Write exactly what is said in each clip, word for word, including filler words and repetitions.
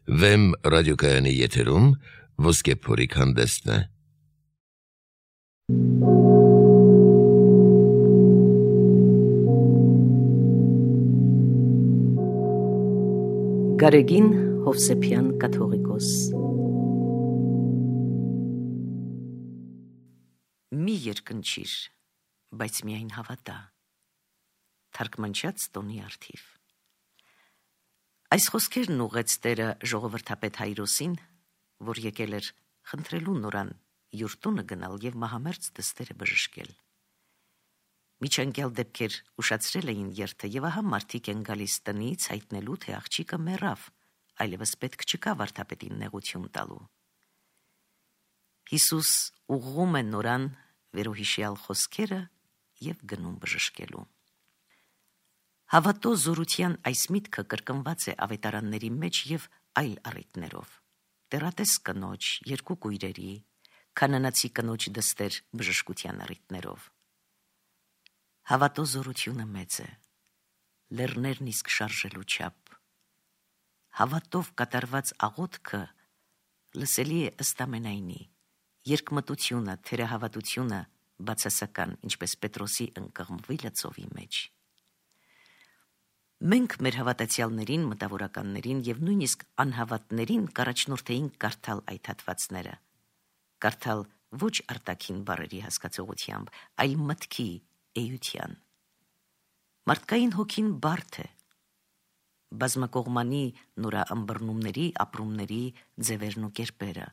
Վեմ ռադիոկայանի եթերում ոսկե փորիկ հանդեսն է։ Գարեգին Հովսեփյան կաթողիկոս։ Մի երկնչիր, բայց միայն հավատա։ Թարգմանչած Տոնի Արթիվ։ Այս խոսքերն ուղեց Տերը ժողովրդապետ Հայրոսին, որ եկել էր խնդրելու նորան յուր տունը գնալ եւ մահամերձ դստերը բժշկել։ Միջանկյալ դեպքեր ուշացրել էին երթը եւ ահա մարդիկ են գալիս տնից հայտնելու, թե աղջիկը մեռավ, այլևս պետք չկա վարդապետին նեղություն տալու։ Հիսուս ուղղում է նորան վերոհիշյալ խոսքերը եւ գնում բժշկելու։ Հավատո զորության այս միտքը կրկնված է ավետարանների մեջ եւ այլ առիթներով։ Տերատես կնոջ, երկու կույրերի, կանանացի կնոջ դստեր բժշկության առիթներով։ Հավատո զորությունը մեծ է, լեռներն իսկ շարժելու չափ։ Հավատով կատարված աղոթքը լսելի է ըստ ամենայնի, երկմտությունը, թերահավատությունը բացասական, ինչպես Պետրոսի ընկղմվելը ծովի մեջ։ Մենք մեր հավատացյալներին, մտավորականներին եւ նույնիսկ անհավատներին կառաջնորդեինք կարդալ այդ հատվածները։ Կարդալ ոչ արտաքին բառերի հասկացողությամբ, այլ մտքի, էության։ Մարդկային հոգին բարդ է։ Բազմակողմանի նորա ըմբռնումների, ապրումների ձևերն ու կերպերը։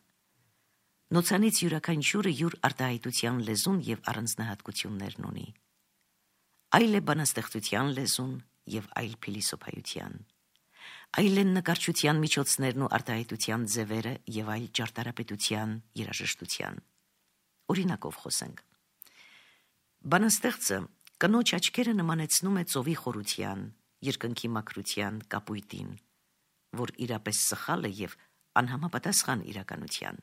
Նոցանից յուրաքանչյուրը յուր արտահայտության լեզուն եւ առանձնահատկություններն ունի։ Այլ է բանաստեղծության լեզուն եւ այլ փիլիսոփայության, այլ են նկարչության միջոցներն ու արտահայտության ձևերը եւ այլ ճարտարապետության, երաժշտության։ Օրինակով խոսենք։ Բանաստեղծը կնոջ աչքերը նմանեցնում է ծովի խորության, երկնքի մաքրության, կապույտին, որ իրապես սխալ է եւ անհամապատասխան իրականության։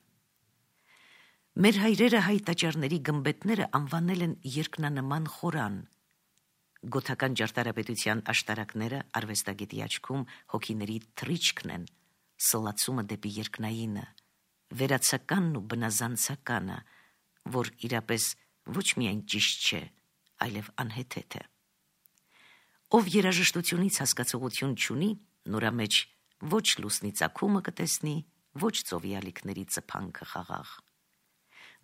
Մեր հայրերը հայ տաճարների գմբեթները անվանել են երկնանման խորան։ Գոթական ճարտարապետության աշտարակները արվեստագետի աչքում հոգիների թռիչքն են, սլացումը դեպի երկնայինը, վերացականն ու բնազանցականը, որ իրապես ոչ միայն ճիշտ չէ, այլև անհեթեթ է։ Ով երաժշտությունից հասկացողություն չունի, նորա մեջ ոչ լուսնի ծագումը կտեսնի, ոչ ծովի ալիքների ծփանքը խաղաղ։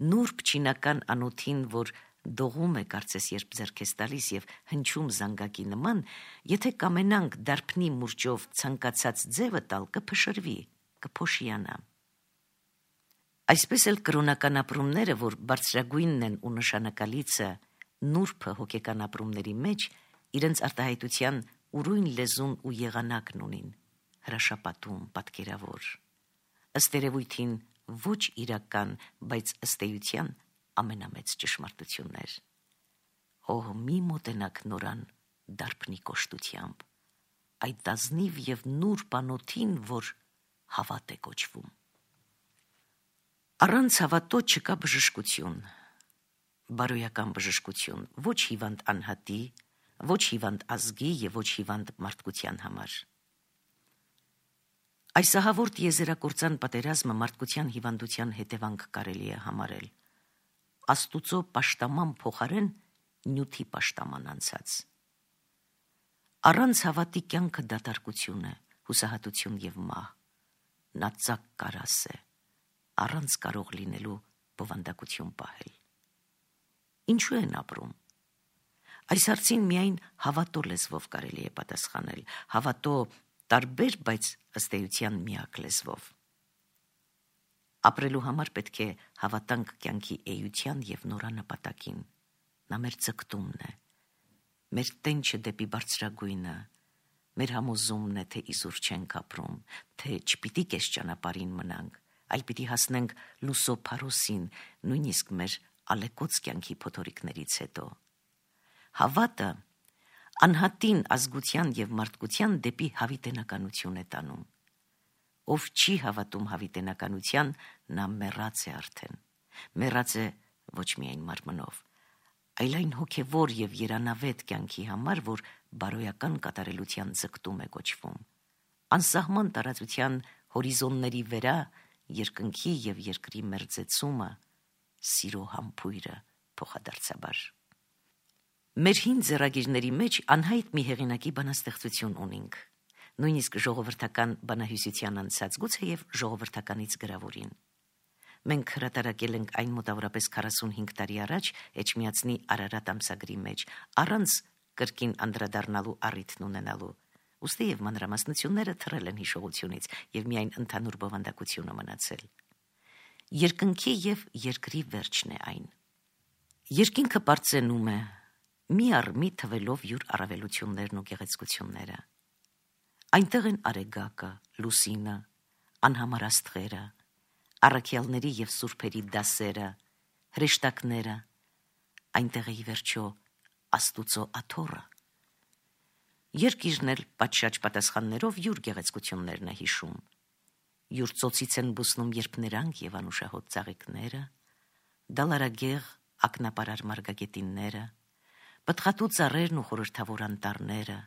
Նուրբ չինական անոթին, որ դողում է կարծես երբ ձեռքես տալիս եւ հնչում զանգակի նման, եթե կամենանք դարբնի մուրճով ցանկացած ձևը տալ, կփշրվի, կփոշիանա։ Այսպես էլ կրոնական ապրումները, որ բարձրագույնն են ու նշանակալիցը, նուրբը հոգեկան ապրումների մեջ, իրենց արտահայտության ուրույն լեզուն ու եղանակն ունին, հրաշապատում, պատկերավոր։ Ըստ երևույթին ոչ իրական, բայց ըստ էության ամենամեծ ճշմարտություններ։ Օհ, մի մոտենակ նորան դարբնի կոշտությամբ, այդ ազնիվ եւ նուրբ անոթին, որ հավատ է կոչվում։ Առանց հավատո չկա բժշկություն, բարոյական բժշկություն, ոչ հիվանդ անհատի, ոչ հիվանդ ազգի եւ ոչ հիվանդ մարդկության համար։ Այս ահավորտ եզերակործան պատերազմը մարդկության հիվանդության հետևանք կարելի է համարել։ Աստուծո պաշտաման փոխարեն նյութի պաշտաման անցած։ Առանց հավատի կյանքը դատարկություն է, հուսահատություն եւ մահ։ Նա ծակ կարաս է, առանց կարող լինելու բովանդակություն պահել։ Ինչու են ապրում։ Այս հարցին միայն հավատո լեզվով կարելի է պատասխանել, հավատո տարբեր, բայց ըստ էության միակ լեզվով։ Ապրելու համար պետք է հավատանք կյանքի էության եւ նորանպատակին։ Նա մեր ցկտումն է, մեր տենչը դեպի բարձրագույնը, մեր համոզումն է, թե իզուր չենք ապրում, թե չպիտի կես ճանապարհին մնանք, այլ պիտի հասնենք լուսո փարոսին, նույնիսկ մեր ալեկոծ կյանքի փոթորիկներից հետո։ Հավատը անհատին ազգության եւ մարդկության դեպի հավիտենականություն է տանում։ Ով չի հավատում հավիտենականության, նա մեռած է արդեն։ Մեռած է ոչ միայն մարմնով, այլ այն հոգևոր եւ երանավետ կյանքի համար, որ բարոյական կատարելության ձգտում է կոչվում։ Անսահման տարածության հորիզոնների վերա երկնքի եւ երկրի մերձեցումը, սիրո համբույրը փոխադարձաբար։ Մեր հին ձեռագիրների մեջ անհայտ մի հեղինակի բանաստեղծություն ունենք, նույնիսկ ժողովրդական բանահյուսության անցած, գուցեև ժողովրդականից գրավորին։ Մենք հրատարակել ենք այն մոտավորապես քառասունհինգ տարի առաջ Էջմիածնի Արարատ ամսագրի մեջ, առանց կրկին անդրադառնալու առիթն ունենալու, ուստի եւ մանրամասնությունները թռել են հիշողությունից եւ միայն ընդհանուր բովանդակությունը մնացել։ Երկնքի եւ երկրի վերջն է այն։ Երկինքը պարծենում է, մի առ մի թվելով յուր առավելություններն ու գեղեցկությունները։ Այնտեղ են արեգակը, լուսինը, անհամար աստղերը, առաքյալների եւ սուրբերի դասերը, հրեշտակները, այնտեղ է ի վերջո Աստուծո աթոռը։ Երկիրն էլ պատշաճ պատասխաններով յուր գեղեցկություններն է հիշում։ Յուր ծոցից են բուսնում երբ նրանք եւ անուշահոտ ծաղիկները, դալարագեղ ակնապարար մարգագետինները, պտղատու ծառերն ու խորհրդավոր անտառները,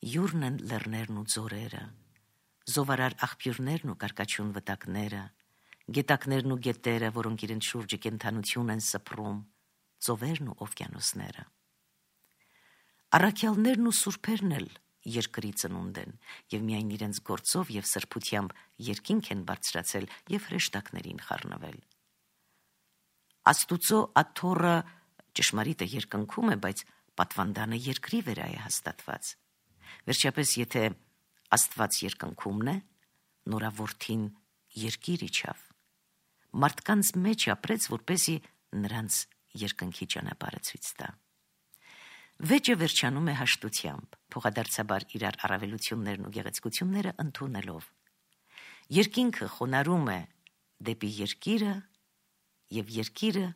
յուրն են լեռներն ու ձորերը, զովարար աղբյուրներն ու կարկաչուն վտակները, գետակներն ու գետերը, որոնք իրենց շուրջը կենդանություն են սփռում, ծովերն ու օվկիանոսները։ Առաքյալներն ու սուրբերն էլ երկրի ծնունդ են եւ միայն իրենց գործով եւ սրբությամբ երկինք են բարձրացել եւ հրեշտակներին խառնվել։ Աստուծո աթոռը ճշմարիտը երկնքում է, բայց պատվանդանը երկրի վրա է հաստատված։ Վերջապես, եթե Աստված երկնքումն է, նորավորթին երկիր իջավ, մարդկանց մեջ ապրեց, որպեսզի նրանց երկնքի ճանապարհը ցույց տա։ Վեճը վերջանում է հաշտությամբ, փոխադարձաբար իրար առավելություններն ու գեղեցկությունները ընդունելով։ Երկինքը խոնարհում է դեպի երկիրը եւ երկիրը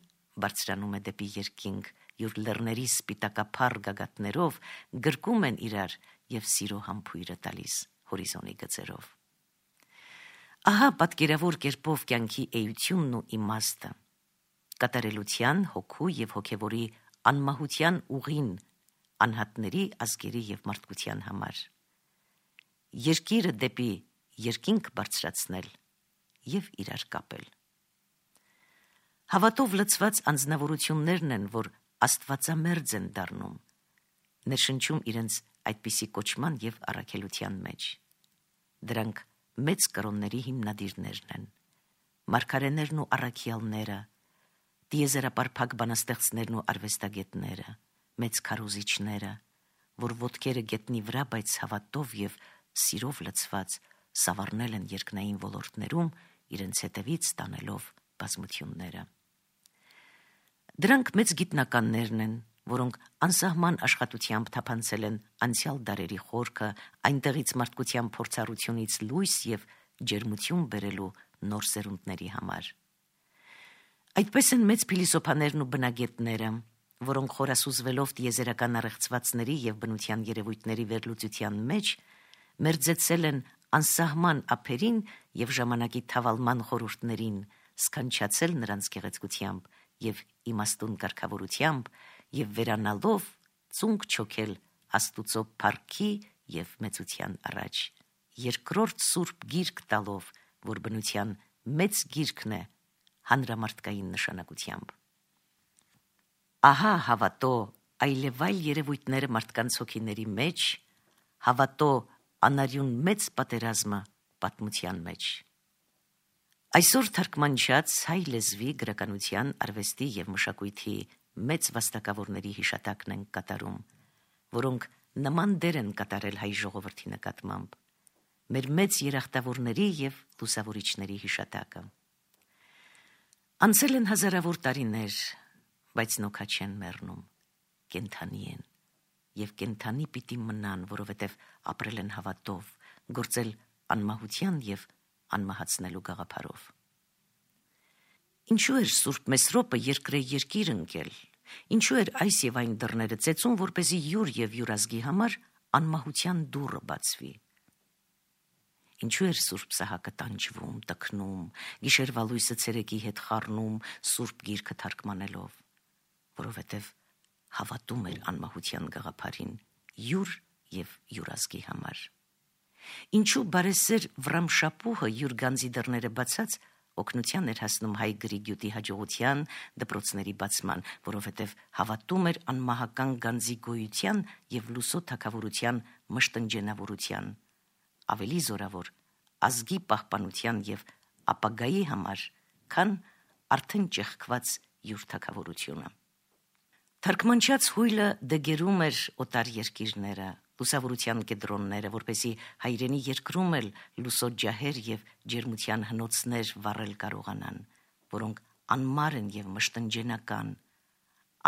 բարձրանում է դեպի երկինք, յուր լեռների սպիտակափառ գագաթներով գրկում են իրար եւ սիրո համբույրը տալիս հորիզոնի գծերով։ Ահա պատկերավոր կերպով կյանքի էությունն ու իմաստը, կատարելության, հոգու եւ հոգեվորի անմահության ուղին անհատների, ազգերի եւ մարդկության համար։ Երկիրը դեպի երկինք բարձրացնել եւ իրար կապել։ Հավատով լցված անձնավորություններն են, որ աստվածամերձ են դառնում, ներշնչում իրենց այդպիսի կոչման եւ առաքելության մեջ։ Դրանք մեծ կրոնների հիմնադիրներն են, մարգարեներն ու առաքյալները, տիեզերապարփակ բանաստեղծներն ու արվեստագետները, մեծ քարոզիչները, որ ոտքերը գետնի վրա, բայց հավատով եւ սիրով լցված սավառնել են երկնային ոլորտներում, իրենց հետևից տանելով բազմությունները։ Դրանք մեծ գիտնականներն են, որոնք անսահման աշխատությամբ թափանցել են անցյալ դարերի խորքը, այնտեղից մարդկության փորձառությունից լույս եւ ջերմություն բերելու նոր սերունդների համար։ Այդպես են մեծ փիլիսոփաներն ու բնագետները, որոնք խորասուզվելով տիեզերական առեղծվածների եւ բնության երևույթների վերլուծության մեջ մերձեցել են անսահման ափերին եւ ժամանակի թավալման խորհուրդներին, սքանչացել նրանց գեղեցկությամբ եւ իմաստուն կարգավորությամբ եւ վերանալով ծունկ չոքել Աստուծո փառքի եւ մեծության առաջ, երկրորդ սուրբ գիրք տալով, որ բնության մեծ գիրքն է հանրամարտկային նշանակությամբ։ Ահա հավատո այլևայլ երևույթները մարդկանց հոգիների մեջ, հավատո անարյուն մեծ պատերազմը պատմության մեջ։ Այսօր թարգմանչած հայ լեզվի, գրականության, արվեստի եւ մշակույթի մեծ վաստակավորների հիշատակն են կատարում, որոնք նման դեր են կատարել հայ ժողովրդի նկատմամբ, մեր մեծ երախտավորների եւ լուսավորիչների հիշատակը։ Անցել են հազարավոր տարիներ, բայց նոքա չեն մեռնում, կենդանի են եւ կենդանի պիտի մնան, որովհետեւ ապրել են հավատով, գործել անմահության եւ անմահացնելու գաղափարով։ Ինչու էր Սուրբ Մեսրոպը երկրե երկիր ընկել, ինչու էր այս եւ այն դռները ծեծում, որպեսզի յուր եւ յուր ազգի համար անմահության դուռը բացվի։ Ինչու էր Սուրբ Սահակը տանջվում, տքնում, գիշերվա լույսը ցերեկի հետ խառնում, Սուրբ Գիրքը թարգմանելով, որովհետեւ հավատում էր անմահության գաղափարին յուր եւ յուր ազգի համար։ Ինչու բարեսեր Վրամշապուհը յուր գանձի դռները բացած օգնության էր հասնում հայ գրի գյուտի հաջողության դպրոցների բացման, որովհետև հավատում էր անմահական գանձի գոյության եւ լուսո թագավորության մշտնջենավորության, ավելի զորավոր ազգի պահպանության եւ ապագայի համար, քան արդեն ճեղքված յուր թագավորությունը։ Թարգմանչած հույլը դգերում էր օտար երկիրները, լուսավորության կեդրոնները, որպեսի հայրենի երկրում էլ լուսո ջահեր եւ ջերմության հնոցներ վառել կարողանան, որոնք անմար են եւ մշտնջենական,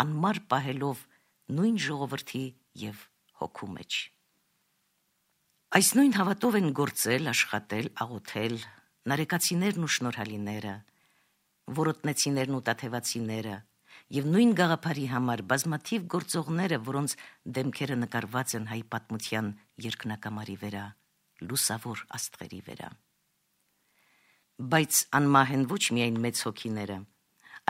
անմար պահելով նույն ժողովրդի եւ հոգու մեջ։ Այս նույն հավատով են գործել, աշխատել, աղոթել նարեկացիներն ու շնորհալիները, որոտնեցիներն ու տաթևացիները եւ նույն գաղափարի համար բազմաթիվ գործողները, որոնց դեմքերը նկարված են հայ պատմության երկնակամարի վրա, լուսավոր աստղերի վրա։ Բայց անմահ են ոչ միայն մեծ հոգիները,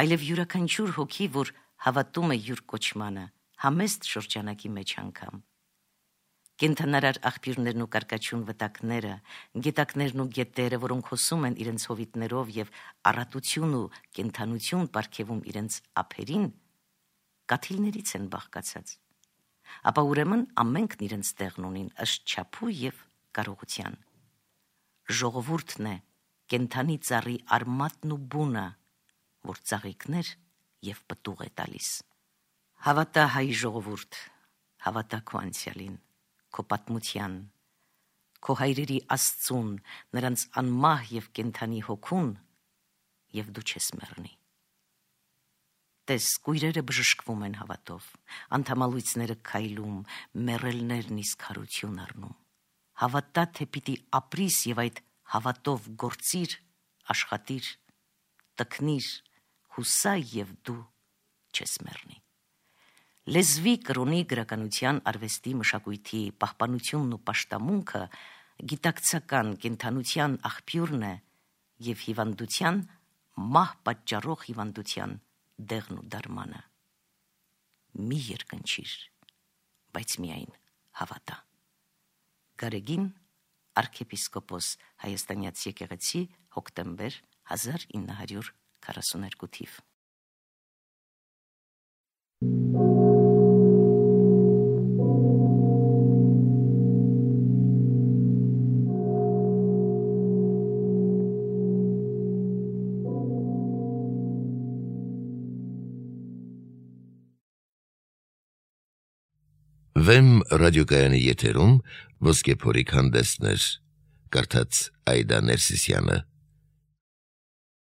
այլև յուրաքանչյուր հոգի, որ հավատում է յուր կոչմանը, համեստ շրջանակի մեջ անգամ։ Կենթանարար աղբյուրներն ու կարկաչուն վտակները, գետակներն ու գետերը, որոնք հոսում են իրենց հովիտներով եւ առատություն ու կենթանություն պարգևում իրենց ափերին, կաթիլներից են բաղկացած։ Ապա ուրեմն ամենքն իրենց տեղն ունին ըստ չափու եւ կարողության։ Ժողովուրդն է կենթանի ծառի արմատն ու բունը, որ ծաղիկներ եւ պտուղ է տալիս։ Հավատա հայ ժողովուրդ, հավատա քո անցյալին, քո պատմության, քո հայրերի Աստծուն, նրանց անմահ եւ կենթանի հոգուն, եւ դու չես մեռնի։ Տես, կույրերը բժշկվում են հավատով, անդամալույցները քայլում, մեռելներն իսկ հարություն առնում։ Հավատա, թե պիտի ապրիս եւ այդ հավատով գործիր, աշխատիր, տքնիր, հուսա եւ դու չես մեռնի։ Լեզվի, կրոնի, գրականության, արվեստի, մշակույթի պահպանությունն ու պաշտամունքը գիտակցական կենթանության աղբյուրն է եւ հիվանդության մահ պատճառող հիվանդության դեղն ու դարմանը։ Մի երկնչիր, բայց միայն հավատա։ Գարեգին, arczepiskopos Հայաստանյաց եկեղեցի, հոկտեմբեր հազար ինը հարյուր քառասունութ թիվ։ Վեմ ռադիոկայանի եթերում ոսկե փորիկ հանդեսներ, կարդաց Այդա Ներսիսյանը։